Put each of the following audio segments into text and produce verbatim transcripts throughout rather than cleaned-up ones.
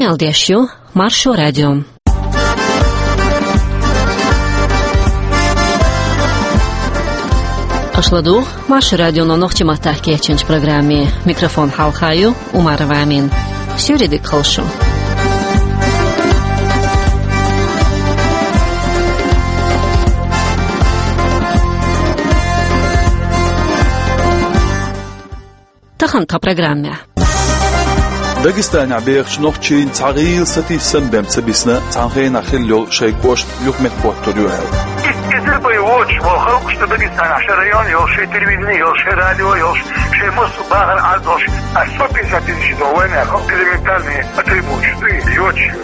Къамел деш ю Маршо радио. Аша ладугӀу Маршо радионо нохчийн маттахь кечйинчу программе. Микрофон хьалха ю Умарова Амина. Суьйре дика хуьлда шун. Тахана тхан программехь. Дагестанехь бехачу нохчийн цхьа гӀийла сатийсам бен ца бисна, цхьана хенахь хилла йолу шайн кӀошт юха меттахӀоттур ю аьлла. Иза бен воцуш, вай халкъашна Дагестанехь шайн район йолуш, шайн телевидение йолуш, шайн радио йолуш, шайн массо а бахархьама долуш, а сто пятьдесят тысяч долу вайнехан элементарные потребности, йоцуш ю.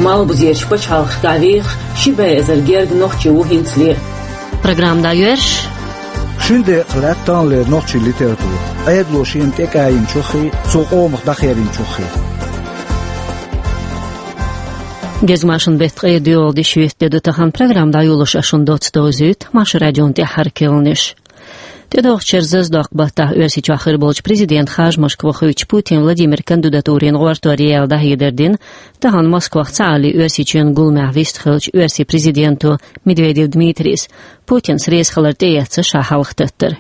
Малхбузерчу пачхьалкхашкахь вехаш ши бӀе эзар герга нохчи ву хӀинцале. Программа дӀайоьрзуш. Шина декъах лаьтта таханлера нохчийн литература, Ӏедало шена тӀекъаьйначуххий, цо къомах дӀахеринчуххий. Гезгмашин беттан ткъе доьалгӀа де шоьтан де ду тахана. Программа дӀайолош ас шуна доцца довзуьйту Маршо радион тӀаьххьара керланаш. ТӀедогӀучу шеран зазадоккху баттахь Оьрсийчохь хир болчу президентан харжамашка вахийтинчу Путин Владимиран кандидатурина гӀортор яла дӀахьедар дина тахана Москвахь цхьааллин Оьрсийчоьнан гуламехь вист хиллачу оьрсийн президенто Медведев Дмитрийс, Путинс реза хилар тӀеэцна ша хьалха таттар.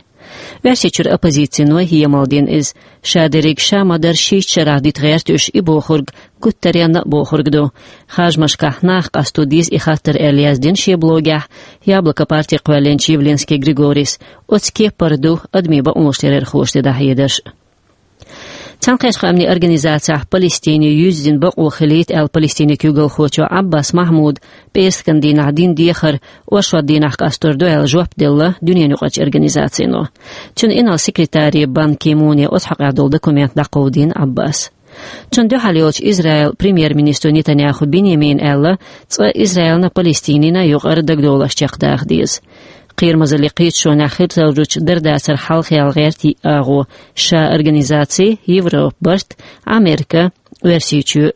Оьрсийчуьра оппозицино емал дина иза. Ша дерриг ша ма-дарра шийтта шарахь дита гӀерта уьш и бохург гуттаренна а бохург ду. Харжамашкахь нах къасто деза и хаттар аьлла яздина шен блогехь «Яблоко» парти кхоьллинчу Явлинский Григорийс. Оцу кепара ду адамийн бакъонаш ларъярхоша дина дӀахьедарш. Цхьаьнакхеттачу Къаьмнийн Организацехь Палестине юьззина бакъо хилийта аьлла Палестинан куьйгалхочо Ӏаббас Махьмуда пӀераскан дийнахь дина дехар оршот дийнахь къастор ду аьлла жоп делла дуьненаюкъарчу организацино. Цуьнан инарла секретаре Бан Ки Муне оцу хьокъехь долу документ дӀакховдийна Ӏаббаса. Цунна дуьхьал йолчу Израилан премьер-министро Нетаньяху Биньямина аьлла, цкъа Израилна а, Палестинина а юкъара дагадовларш чекхдаха деза. Кхерамазаллин кхеташонехь хир долчу дарадацарх хьалха яла гӀерта йиъ агӀо: ша организаци, Европан барт, Америка, Оьрсийчоь.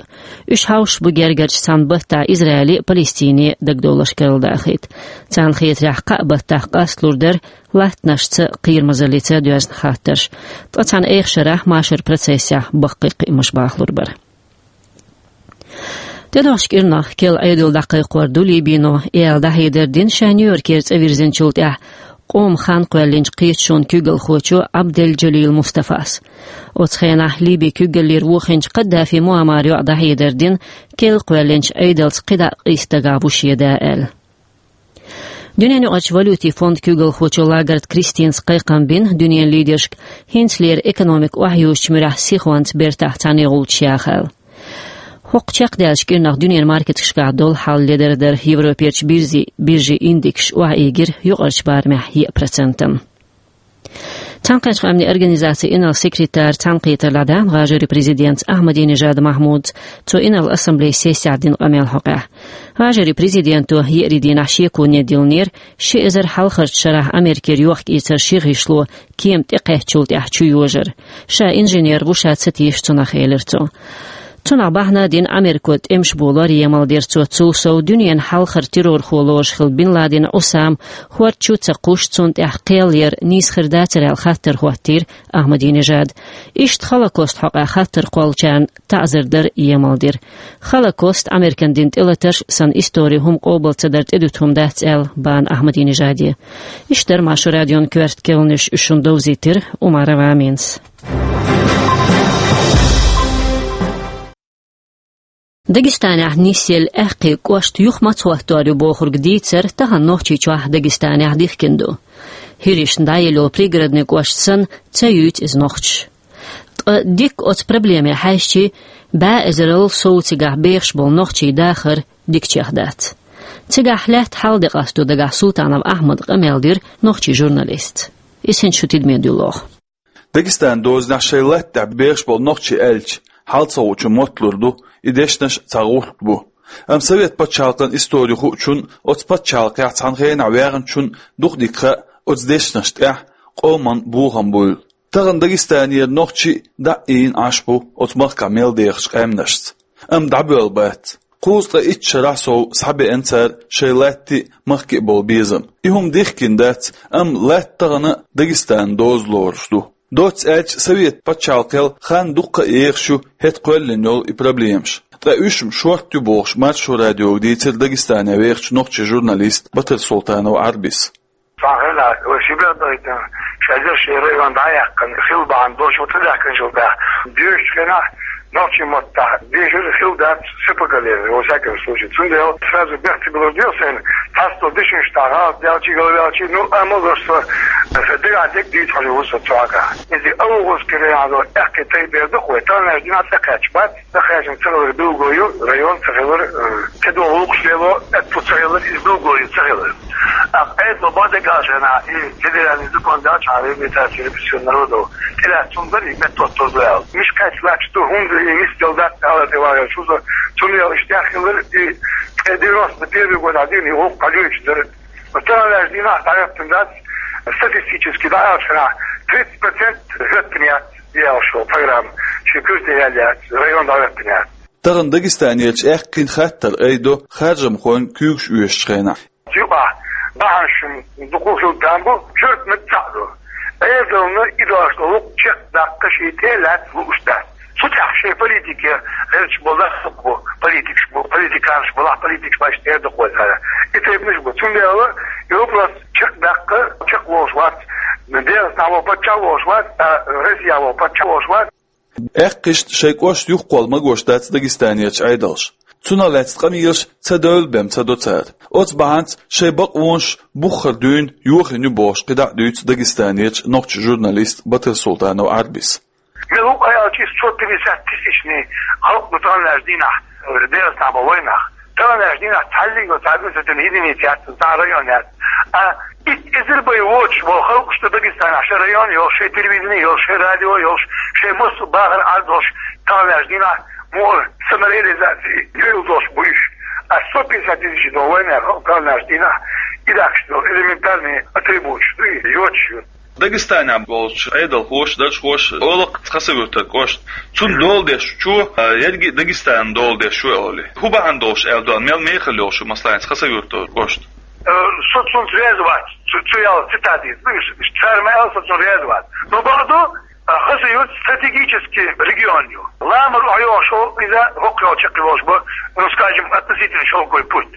Уьш хьовсуш бу гергарчу цхьана баттахь Израиле а, Палестине а дагадовларш карладахийта. Царна хетарехь, кхаа баттахь къасталур дара латтанашца, кхерамазаллица доьзна хаттарш. Ткъа цхьана эха шарахь машаран процессехь баккхий кхиамаш бахалур бара. ТӀедогӀучу кӀирнах керла Ӏедал дӀакхайкхор ду Либино, аьлла дӀахьедар дина ша Нью-Йоркера цӀа вирзинчул тӀаьхьа къоман хан кхоьллинчу кхеташонан куьйгалхочо Ӏабдел-Джалил Мустафас. Оцу хенахь Либин куьйгаллера вохийначу Каддафи Муаммара йоӀа дӀахьедар дина, керла кхоьллинчу Ӏедалца кхидӀа а къийса дагахь ву шен да аьлла. Дуьненаюкъарчу валютийн фондан куьйгалхочо Лагард Кристинас кхайкхам бина дуьненан лидершка, хӀинцалера экономика охьаюзучу муьрехь сихонца бертахь цхьаьна гӀулчаш яха аьлла. ХӀокху чекхдаьллачу кӀирнах дуьненан маркеташкахь долу хьал ледара дара. Европерчу биржи-, биржийн индексаш охьаэгира юкъарчу барамехь еа процентана. Цхьаьнакхеттачу Къаьмнийн Организацин инарла секретара цхьаьнакхетар лаьцна ГӀажарийн президентаца Ахьмадинежад Махьмудца цо инарла ассамблейн сессехь дина къамел хьокъехь. ГӀажарийн президенто еарин дийнахь шеконе диллинера ши эзар хьалхарчу шарахь Америкера йохк-эцар ши гӀишло кема тӀекхаьчначул тӀаьхьа чу йожар. Ша инженер ву, ша ца теша цунах, элира цо. Цунах бахьана а дина, Америко тӀемаш болор емал дира цо. Цул сов, дуьненан хьалхара террорхо лоруш хилла Бин Ладен Ӏусам хӀорда чу ца кхуьссуш, цунна тӀехь кхел яр нийса хир дацара аьлла хаттар хӀоттийра Ахьмадинежада. Иштта Холокост хьокъехь хаттар кхоллачарна таӀзар дар емал дира. Холокост, Американ дина тӀелатарш санна, истори хӀума къобал ца дар тӀедуьту хӀума дац аьлла бахьана Ахьмадинежаде. Иштта дара Маршо радион коьрта керланаш, уьш шуна довзийтира Умарова Аминас. Дагестанехь нисъелла аьккхий кӀошт юха мацахӀоттор ю бохург дийцар тахана Нохчийчохь, Дагестанехь дихкина ду. ХӀиришна дӀаелла йолу Пригородный кӀошт санна, ца юьйцу иза нохчаша. Ткъа дикка оцу проблеме хьаьжча, бӀе эзарал сов цигахь бехаш болу нохчийн дахар дикачех дац. Цигахь лаьтта хьал де къасто дагахь Султанов Ахьмада къамел дира нохчийн журналистца. Иза хӀинца шун тидаме дуьллу оха. Дагестанан дозанехь шайн латта тӀехь бехаш болу нохчий аьлча, хьал ца хуучун мотталур ду, и дешнаш цхьа гӀуллакх бу. Амма Совет пачхьалкхан истори хуучунна, оцу пачхьалкхехь цхьана хенахь ваьхначунна дукха дика хаьа оцу дешнашна тӀехь къоман бохам буйла. Тахана Дагестанера нохчий дӀа а ийна Ӏаш бу оцу махкахь мел дехачу къаьмнашца. Амма дӀабоьлла бац. Кхузткъе итт шарахь сов схьабеана цара шайн латти а, махки а болу безам. И хӀума дихкина дац, амма латта тахана а Дагестанан доза лоруш ду. Доцца аьлча, Совет пачхьалкхел хан дуккха а ехаш ю хӀета кхоьллина йолу и проблемаш. Ткъа уьш-м шортта ю бохуш, Маршо радиога дийцира Дагестане вехачу нохчийн журналиста Батырсултанов Ӏарбис. Цхьана хенахь вай ши бер дахийтина, шаьш шайн район дӀаяьккхина хилла бахьана долуш, ву ца даьккхинчул тӀаьхьа, доьшучу хенахь нохчийн маттахь дешар хилла дац СПГ леррина, во всяком случае. Цундела сразу бехк ца билур дела сайна, цхьацца дешнаш тӀехь гӀалат даьлчий, галваьлчий, ну, амма лош со, сан дегахь дерг дийца хьожур ву со цу хьокъехь. Иза Алгъузский район аьлла аьхки тайпа эр ду-кх вай, таханлерчу дийнахь цӀа кхаьчна бац, цӀа кхаьчна ца хилар билгало ю, район ца хилар, э, ца догӀу гӀуллакхаш лело аьтту ца хилар, иза билгало ю ца хилар. Ткъа Ӏедало бакъдерг аьлча, и федеральный закон даьлча, реабилитация репрессированных народов, тӀелаьцна хӀума дара и, меттаотталур ду аьлла. Мишкац лаьтташ ду, хӀунда и нисделла дац аьлла тӀе вагӀар шуьца, цундела иштта хилар и, ткъе девяносто первый годахь дина и гӀуллакх дӀалоьцуш дара. Таханлерчу дийнахь дӀахӀоьттина дац, статистически дӀааьлча, тридцать процент хӀоьттина яц, яьлла шо программа, шен куьрте яьлла яц, район дӀахӀоьттина яц. Тахана Дагестанерчу аьхкийн хаттар айдо харжамхойн куьйгаш оьшучу хенахь. Юкъахь бахьанаш дукха хилла там бу, коьрта меттиг цхьаъ ду. Ӏедална и дош долу чекхдаккха шен тӀе лаьцна лууш дац. Цу тӀехь шайн политике гӀерташ болу даккха бу, политикаш бу, политиканаш бу, лахь политикаш баьш тӀера дакхойхара. И тайпанаш бу. Цундела и вопрос чекхдаккха, чекхволуш вац, Дегестан волу паччахь а волуш вац, а Россия волу паччахь а волуш вац. Аьккхишна шайн кӀошт юхакхолла магош дац Дагестанерчу Ӏедалша. Цунах лаьцна къамелаш ца девлла бен ца до цара. Оцу бахьанца шайн бакъонаш буххара дуьйна йохийна ю бохуш, кхидӀа а дуьйцу Дагестанерчу нохчийн журналиста Батырсултанов Ӏарбис. Мел ву аьлча, сто пятьдесят тысячный халкъ ду таханлерчу дийнахь, э, Дегестан болу вайнах. Таханлерчу дийнахь цхьаллиг а цхьа административный единица яц, цхьа район яц. А итт эзар бен воцуш болу халкъаш ду Дагестанахь, шайн район йолуш, шайн телевидение йолуш, шайн радио йолуш, шайн массо а бахар Ӏар долуш, таханлерчу дийнахь муха самореализация йойла долуш бу уьш. А сто пятьдесят тысяч долу вайнах халкъ таханлерчу дийнахь и даккхаш долу элементарный атрибуташ ду и, йоцуш ю. Дагестанехь болчу Ӏедалхоша, даржхоша олу-кх Хасавюртан кӀошт, цунна дола деш ву, а, ерриге а Дагестанна дола деш ву олий. ХӀун бахьана долуш аьлла ду, мел мехала йолуш ю, масала, Хасавюртан кӀошт? Э, со цунца реза вац, цу, цу аьлла цитата ду, цара ма аьлла, со цунна реза вац. Но бакъду, а, Хасавюрт стратегический регион ю. Ламара охьайогӀуш йолу иза хӀокху йолчу чекхйолуш бу, ну, скажем, относительно шелковый путь.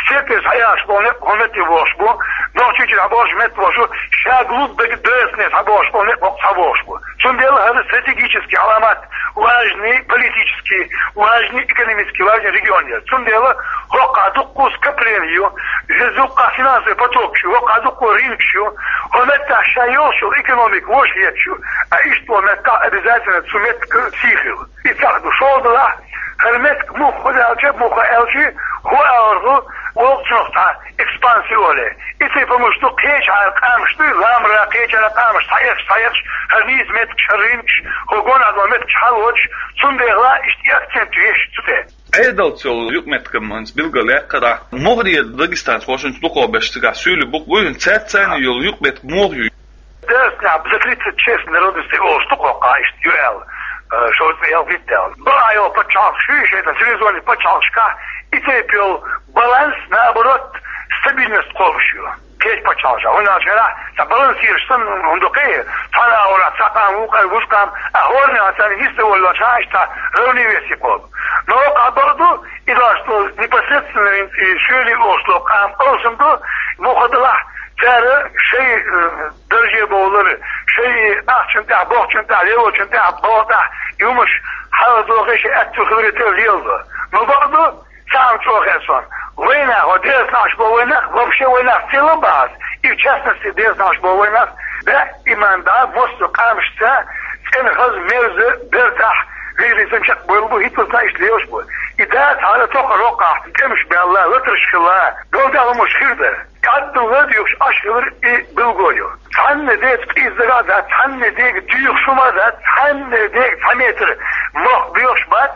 Степе схьаяхьаш болу некъ хӀокху метте богӀуш бу, Нохчийчуьра схьабогӀуш метте богӀуш бу, ша глубь Даг-, Дагестане схьабогӀуш болу некъ хӀокху схьабогӀуш бу. Цундела хӀара стратегический Ӏаламат, важный политический, важный экономический, важный регион яра. Цундела хӀокхахь дуккха скопление ю, иза дуккха финансовый потокаш ю, хӀокхахь дуккха рынокаш ю, хӀокху меттехь ша йолуш йолу экономика вовшахъетташ ю, а иштта волу меттехь обязательно цу меттиган сий хила. И цхьаъ ду, шолгӀа делахь, хӀара меттиг муха хӀун аьлча, муха аьлча, хӀун аьлла ду, воккхачунах цхьа экспансия олий. И тайпа хӀумаш ду, кхечахьара къамаш ду, ламара кхечахьара къамаш, схьаэцаш, схьаэцаш, хӀара нийса меттигаш, хӀара рынокаш, хӀокху гонах долу меттигаш хьалоцуш, цундела иштта и акцент веш цу тӀе. Ӏедалца йолу юкъаметтигаш хӀинца билгалъяьккхира. Муххале Дагестанхоша хӀинца дукхах берш цигахь суьйлий букъ буй, хӀинца цаьрца царна йолу юкъаметтиг муха ю? Дагестанехь за тридцать шесть народностей олуш ду кхоккха, иштта ю аьлла, э, шовзткъе ялхитта аьлла. Бакъахь йолу пачхьалкхаш ю, шайна цивилизованный пачхьалкхашкахь и тайпа йолу баланс, наоборот, стабильность кхобуш ю. Кхечу пачхьалкхашкахь. ХӀунда аьлча цхьа балансираш санна хӀума ду-кх, цхьана агӀорахь цхьа къам ву, кхара вуьш къам, а хӀоранна царна йист а воллуш, иштта равновесие кхобу. Но хӀокхахь бакъду, и дош ду непосредственно и суьйлий олуш долу къам алсам ду, муха делахь, цара шайн, э, дарже бовлар, шайн ахчанна тӀехь, бохчанна тӀехь, лелочунна тӀехь, боху тӀехь, и хӀумаш хьалха дохий, шайн аьтту хиларе тера леладо. Но бакъду, цхьа хӀума чӀогӀа хеза суна. Вайнах, хӀо Дагестанахь болу вайнах, вообще вайнах в целом бахьа, и в частности Дагестанахь болу вайнах, даиман дӀа массо а къамашца цӀена, хаза, мерза, бертахь, вежарий санна чекхбевлла бу, хӀинца а иштта лелаш бу. И дац хӀара тохара хӀокхахь, тӀемаш баьлла, латарш хилла, долу тӀехь хӀумаш хир дара. КӀаддалла доьхуш Ӏаш хилар и билгало ю. Цхьанна дега къиза дагахь дац, цхьанна дега доьхуш хӀума дац, цхьанна дега цхьа метр мохк боьхуш бац,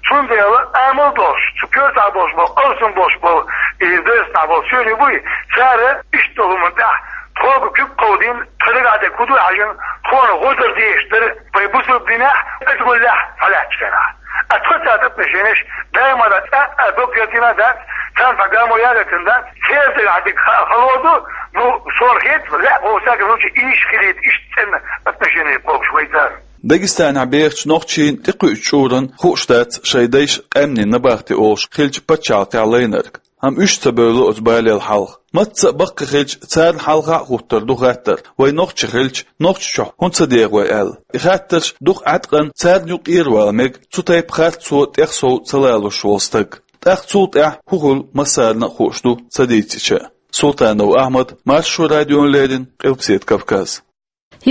цундела амал долуш, цу коьртахь болуш болу, алсам болуш болу, и Дагестанахь болу суьйре буй, цара иштта долу хӀуманна тӀехь тхога куьг кховдийна, тхан дагахь дерг хӀун ду хьаьжна, тхуна гӀо дар дезаш дара, вай бусалба динехь, адамаллехь схьалаьттачу хенахь. А тхан царна отношенеш даиман а цкъа а дог гӀертина дац, царна цхьа гамо яхийтина дац, церан дагахь дерг ха-, хало ду, ну, суна хета, лаьа, во всяком случае, иштта хилийта, иштта цӀена отношенеш кхобуш вай царна. Дагестанехь бехачу нохчийн тӀекхуьучу чкъуран хууш дац шайн дайша къаьмнийн набахти олуш хиллачу пачхьалкхехь лайнарг. Амма уьш ца бевлла оцу балел хьалха. Мацца а баккхий хиллачу, царна хьалха а хӀуттур ду хаттар, вай нохчий хиллачу Нохчийчохь хӀунда ца деха вай аьлла. И хаттарш дукха Ӏаткъана царна юкъа тӀера вала мега цу тайпа харцо тӀех сов ца лалуш волу стаг. ТӀаккха цул тӀаьхьа хӀун хуьлу массарна а хууш ду ца дийцича. Султанов Ахьмад, Маршо радиона леррина, Къилбаседа Кавказ.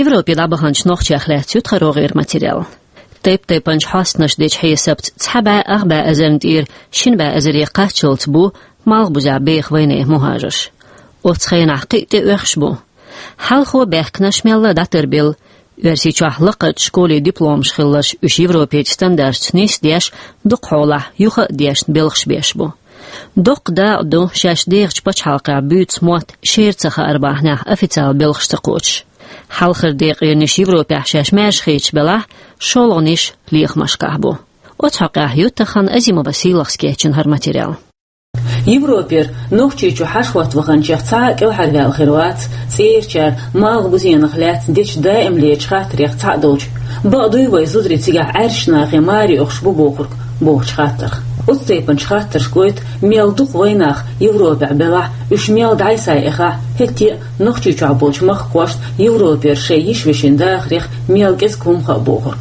Европе дӀабаханчу нохчех лаьцна ю тхарогӀера материал. Тайп-тайпанчу хьостанаша дечу хьесапца цхьа бӀе ах бӀе эзарна тӀера шина бӀе эзаре кхаччалц бу Малхбузехь беха вайнехан мухӀажарш. Оцу хенахь кхин а тӀеоьхуш бу. Хьалхо баьхкинарш мелла а дӀатарбелла. Оьрсийчохь лакхарчу школийн дипломаш хилларш уьш европерчу стандарташца нисдеш, дукхахьолахь юха а дешна белхаш беш бу. Доккха дакъа ду шаьш дехачу пачхьалкхехь буьйцу мотт шера ца хаар бахьанехь официалан белхаш ца кхочуш. Хьалхара декъерниш Европехь шаьш маьршахеташ белахь, шолгӀаниш лехамашкахь бу. Оцу хьокъехь ю тахана Азимова Сийлахьас кечйина хӀара материал. Европера Нохчийчу хьаша хӀотта ваханчех цхьа а кӀелхьарваьлла хир вац цӀерачара Малхбузенах лаьцна дечу даимлерчу хаттарех цхьаъ долчу, бакъ дуй вай зударий цигахь Ӏаьржачу нахе маре оьхуш бу бохург, бохучу хаттарх. Оцу тайпанчу хаттарша гойту, мел дукха вайнах Европехь белахь, уьш мел дӀасаехь, хӀетте а Нохчийчохь болчу махкахошна Европера шайн йиш-вешин дахарех мел кӀезиг хӀума хаьа бохург.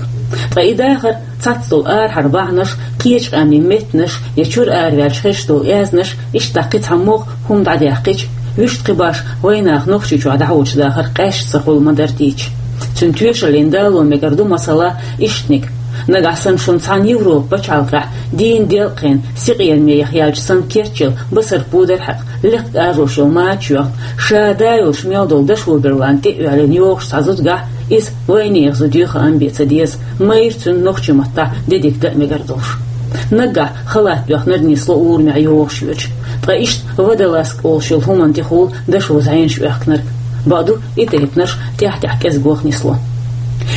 Ткъа и дахар, цхьацца долу арахьара бахьанаш, кхечу къаьмнийн меттанаш я чуьра араваьллачу хезаш долу аьзнаш, иштта кхин цхьа могӀа хӀума дӀадаьккхича, вуьшта кхин баш вайнах Нохчийчохь дӀахьочу дахар къаьсташ ца хуьлу ма-дарра дийцича. Цуьнан тоьшаллина дало мегар ду, масала, ишттаниг. Нагахь санна шуна цхьана Европан пачхьалкхехь дийна делкъехь сикъераме яхъяьлча санна кечъелла басар пудар хьаькъ, лекха ажош йолу мача йоьхна, ша да йолуш мел долу дашо берланна тӀе а оьллина йогӀуш цхьа зудчуьнгахь, иза вайнехан зуда ю хаам бен ца деза, майра цуьнан нохчийн маттахь де дика дан а мегар долуш. Наггахь халат доьхнарг нисло урамехь йогӀуш йоьдуш. Ткъа иштта водолазка олуш йолу хӀуманна тӀехула дашо зӀенаш оьхкинарг. Бакъду, и тайпанаш тӀаьхь-тӀаьхьа кӀезиг ваха нисло.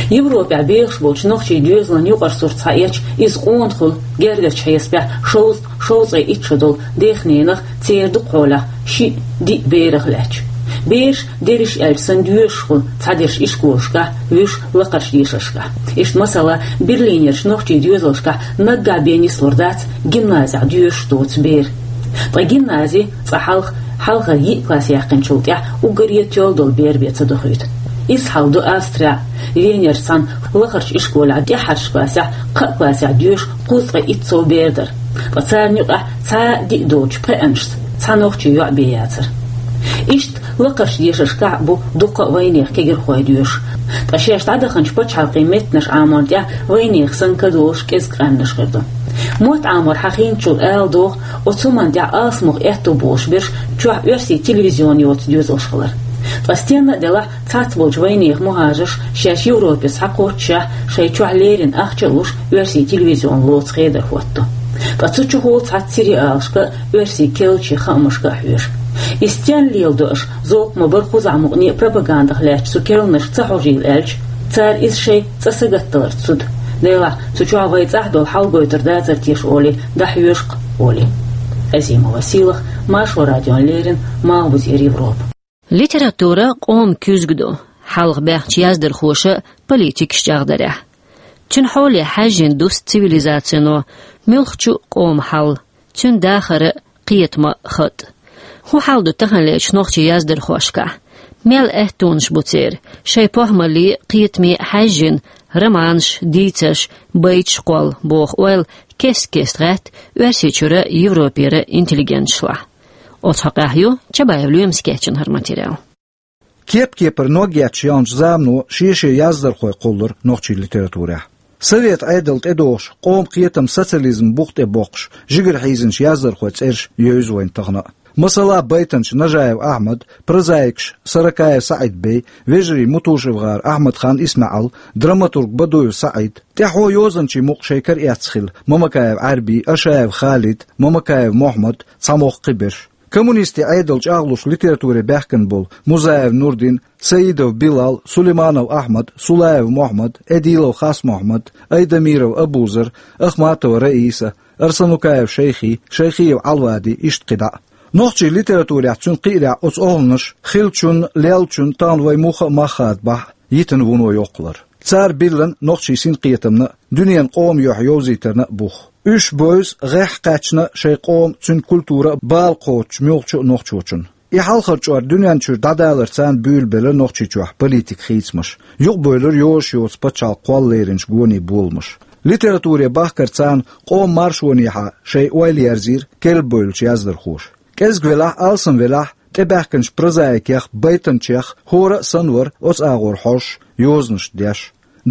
Европехь бехаш болчу нохчийн доьзалан юкъара сурт схьаэцча, иза къона хуьлу, гергарчу хьесапехь шовзткъа, шовзткъе итт шо долу дехненах, церан дукхахьолахь шиъ, диъ берах лаьтташ. Бераш, дерриш аьлча санна, доьшуш хуьлу цхьадерш ишколашкахь, вуьш лакхарчу дешаршкахь. Иштта, масала, Берлинерчу нохчийн доьзалшкахь наггахь бен нислур дац гимназехь доьшуш доцу бер. Ткъа гимнази цкъа хьалха, хьалхара йиъ класс яьккхинчул тӀаьхьа уггаре тоьлла долу бер бен ца дохуьйту. Изза хьал ду Австрехь. Венерчу цхьана лахарчу ишколехь тӀаьххьарчу классехь, кхаа классехь доьшуш кхузткъе итт сов бер дара. Ткъа царна юкъахь цхьа а диъ доцучу пхеанашца цхьа нохчийн йоӀ бен яцара. Иштта лакхарчу дешаршкахь а бу дуккха а вайнехан кегирхой доьшуш. Ткъа шаьш дӀадаханчу пачхьалкхийн меттанаш Ӏаморна тӀехь вайнехан санна кадолуш кӀезиг къаьмнаш хир ду. Мотт Ӏамор хьахийначул ала догӀу, оцу хӀуманна тӀехь алсамох аьтто болуш берш чохь оьрсийн телевизион йоцу доьзалш хилар. Ткъа стенна а делахь, цхьацца болчу вайнехан мухӀажарша шаьш Европе схьакхоччушехь, шайн чохь леррина ахча а луш, оьрсийн телевизион лоцу хедар хӀоттаду. Ткъа цу чухула цхьацца сериалашка а, оьрсийн керлачийн хаамашка а хьоьжу. И стенна леладо аша, зовкх ма-барра кхузахь мукъане а пропагандах лаьттачу цу керланашка ца хьожийла аьлча, цара иза шайн цӀа сагатдаларца зуда. Делахь, цу чохь вай цӀахь долу хьал гойтур дацара теша олий, дӀахьоьжу-кх олий. Азимова Сийлахь, Маршо радиона леррина, Малхбузера Европа. Литература къоман куьзга ду, хьалха баьхначу яздархоша а, политикаша а чӀагӀдарехь. Цуьнан хьоле хьаьжжина дуста цивилизацино муьлххачу а къоман хьал, цуьнан дахар а, кхетам а, хатӀ а. ХӀун хьал ду таханлерчу нохчийн яздархошкахь? Мел аьттонаш бу церан, шайн похӀмалле а, кхетаме а хьаьжжина, романаш, дийцарш, байташ кхолла, боху ойла кест-кеста гӀаьтту Оьрсийчуьра, Европера интеллигенташлахь. Оцу хьокъехь ю Чабаев Лоьмас кечйина хӀара материал. Кеп-кепара ног етташ яьллачу замано шен-шен яздархой кхоллура нохчийн литературехь. Совет Ӏедал тӀедогӀуш, къоман кхетам социализман букъа тӀе боккхуш, жигара хьийзинчу яздархойн цӀераш евза вайна тахана а. Масала, байтанча Нажаев Ахьмад, прозаикаш Саракаев СаӀид-Бей, вежарий Мутушев-гӀар Ахьмад-хан ИсмаьӀал, драматург Бадуев СаӀид, тӀаьхьо йозанчийн мукъ шайн кара эцна хилла Мамакаев Ӏаьрби, Ашаев Халид, Мамакаев Мохьмад, цхьа могӀа кхиберш. Коммунистийн Ӏедал чӀагӀлуш литературе баьхкина болу Музаев Нурдин, Саидов Билал, Сулейманов Ахьмад, Сулаев Мохьмад, Эдилов Хасмохьмад, Айдамиров Абузар, Ахматова Раиса, Арсанукаев Шайхи, Шайхиев Ӏалвади, иштта кхидӀа а. Нохчийн литературехь цуьнан кхиарехь оцу охӀланаша хиллачун, леллачун тахана вай муха а мах хадабахь, йитина вуно йоккхалара. Цара биллина нохчийн синкхетамна а, дуьненан къоман юьхь йовзийтарна а бух. Уьш бевза гӀеххьа кхаьчна шайн къоман, цуьнан культуран а бала кхочучу муьлххачу а нохчочун. И хьалхара чкъор дуьнен чуьра дӀадаларца буьйлабелира Нохчийчохь политикан хийцамаш. Юкъабевлира йозуш йоцу пачхьалкхан кхолла леринчу гонийн боламаш. Литературе бахкарца къоман маршонехьа шайн ойла ерзийра керлабевллачу яздархоша. КӀезиг велахь а, алсам велахь а, тӀебаьхкинчу прозаикех, байтанчех хӀора а санна вара оцу агӀор хьожуш, йозанаш деш.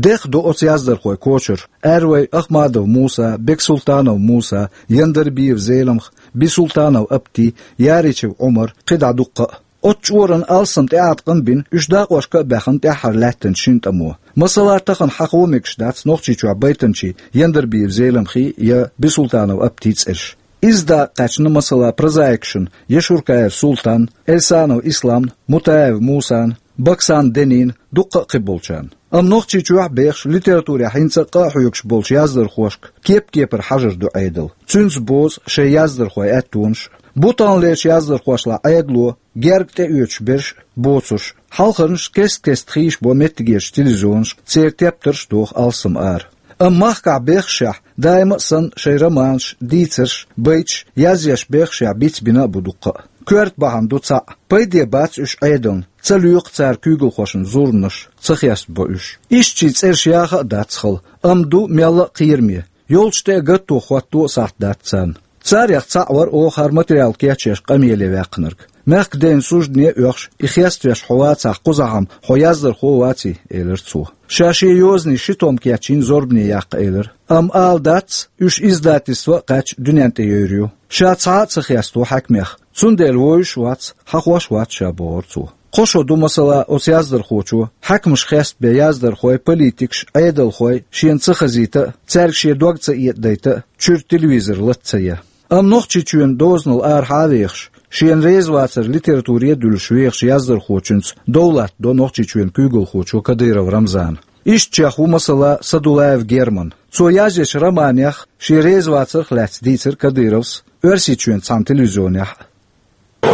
Декхна ду оцу яздархойн кочара: Аьрвай Ахмадов Муса, Бексултанов Муса, Яндарбиев Зеламха, Бисултанов Апти, Яричев Ӏумар, кхидӀа дуккха а. Оцу чкъоран алсам тӀеӀаткъам бина, уьш дакъошка а баьхна, тӀаьххьара лаьттинчу шина тӀамо. Масала, тахана хьахо мегаш дац Нохчийчохь байтанчийн, Яндарбиев Зеламхин я Бисултанов Аптин цӀераш. Иза дакъа кхаьчна, масала, прозаикашна: Яшуркаев Султанна, Эльсанов Исламна, Мутаев Мусана, Баксан Денина, дуккха а кхиболчарна. Амма Нохчийчохь а бехаш, литературехь хӀинца а къа а хьоьгуш болчу яздархошка кеп-кепара хьажар ду Ӏедал. Цуьнца бозу шайн яздархойн аьттонаш а. Бу таханлерчу яздархошлахь Ӏедало герга тӀеоьцуш берш а, боцурш а. Хьалхарнаш кест-кеста хийцабо меттигерчу телевизионашка, церан тептарш а доху алсам ара. Амма махкахь бехашехь, даима а санна, шайн романаш, дийцарш, байташ язъеш бехашехь бицбина а бу дуккха а. Коьрта бахьана ду цхьаъ: пайде бац уьш Ӏедална, ца лоькху цара куьйгалхошна зурманаш, ца хестабо уьш. Ишттачийн цӀераш яха а дац хала, амма ду мелла а кхераме. Йолчу тӀе а гатто, хӀотто а сахьт дац царна. Царех цхьаъ вара оха хӀара материал кечъеш къамеле ваьккхинарг. Мехкан ден суждане а оьхуш, и хеставеш хьо вацахь, кхузахь-м хьо яздархо а ваций, элира цо. Ша шен йозанийн ши том кечйина зорбане яккха элира. Амма ала дац, уьш издательство а кхаьчна дуьнен тӀе йевр ю. Ша цхьа а ца хесто хьаькамех, цундела вовзуш а вац, хьахош а вац ша, бохура цо. Кхо шо ду, масала, оцу яздархочо хьаькамаш хестабен яздархой, политикаш, Ӏедалхой шена ца хазийта а, цаьрга шен дог ца этӀадайта а, чуьра телевизор лата ца ян. Амма Нохчийчоьнан дозанал арахьа а вехаш, шена реза вацар литературе а дуьллуш вехачу яздархочуьнца дов латтадо Нохчийчоьнан куьйгалхочо Кадыров Рамзана. Ишттачех ву, масала, Садулаев Герман. Цо язъечу романех, шен реза вацарх лаьцна дийцира Кадыровс Оьрсийчоьнан цхьана телевизионехь а.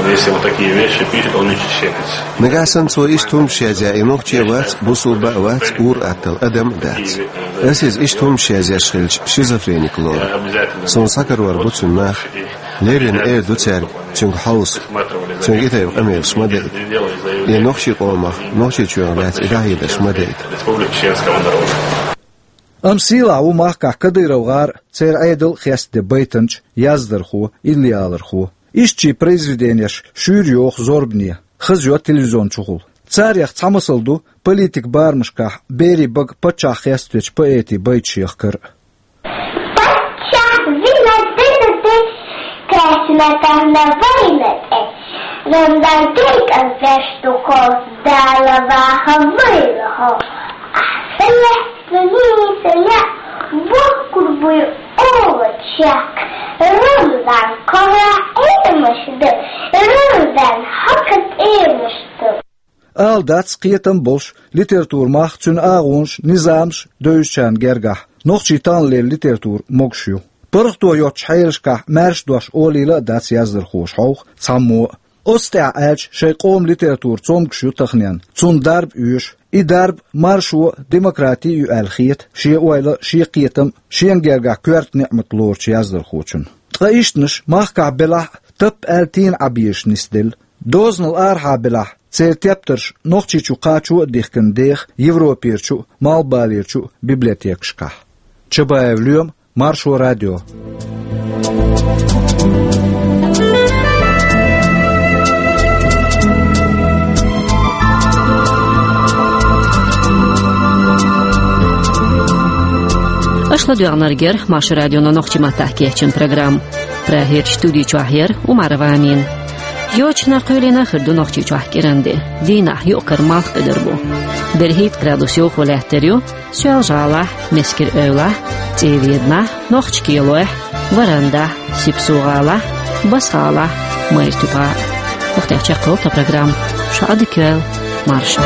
Если вот такие вещи пишет, он ищет щепеть. Нагахь санна цо иштта хӀуманаш язъяй, и нохчи вац, бусулба а вац, ур-атталла адам а дац. Ас иза иштта хӀуманаш язъеш хилча, шизофреник лору. Суна схьакарор бу цуьнан нах. Леррина эр ду цаьрга цуьнга хьовса, цуьнга и тайпа къамелаш ма дайта. И нохчийн къомах, Нохчийчоьнах лаьцна и дӀахьедарш ма дайта. Республика Чеченского народа. Амма сийлахь ву махкахь Кадыров гӀар а, церан Ӏедал а хестаде байтанча, яздархо, иллиалархо. Ишттачийн произведенеш шуьйра йоху зорбане, хаза йо телевизион чухула. Царех цхьа масал ду политикан барамашкахь берийн бага паччахь хеставечу поэтийн байташ яхкар а. Паччахь вина дина де, кхечна тахана вайна тӀе, рамдан декъан веш ду хьо, Дала ваха вайна хьо. Ахь сан лаьцна нийса яа, бохкур буй ола чек, рамдан кхара Ӏемаш ду, рамдан хьока тӀемаш ду. Ала дац, кхетам болуш, литературан мах, цуьнан агӀонаш, низамаш девзачарна гергахь нохчийн таханлера литература могуш ю. ПаргӀато йоцучу хьелашкахь маьрша дош олийла а дац яздархоша хьовха цхьаммо а. Оцу тӀехь аьлча, шайн къоман литература цомгуш ю таханенна, цунна дарба оьшу. И дарба маршо а, демократи а ю аьлла хета шен ойла а, шен кхетам а шена гергахь коьрта ниӀмат лоручу яздархочун. Ткъа ишттанаш махкахь белахь а, тап аьлла тийна Ӏан безаш нисделла. Дозанал арахьа белахь, церан тептарш нохчийчу кхачо а дихкина деха Европерчу а, Малхбалерчу а библиотекашкахь. Чабаев Лоьма, Маршо радио. Аша ладоьгӀнарг яра Маршо радионо нохчийн маттахь кечйина программа. Прагерчу студи чохь яра Умарова Амина. Йочана кхоьлина хир ду Нохчийчохь кӀиран де. Дийнахь юкъ-кара малх кхидӀар бу. БерхӀитта градус йовхо лаьттар ю Соьлжа-ГӀалахь, Мискир-Эвлахь, ЦӀийведанахь, Нохч-Кхелойхь, Варандахь, Сипсу-ГӀалахь, Басса-ГӀалахь, Майра-Туьпа. ХӀокху тӀехь чекхйолу тхан программа. Шу Ӏадика йойла, марша.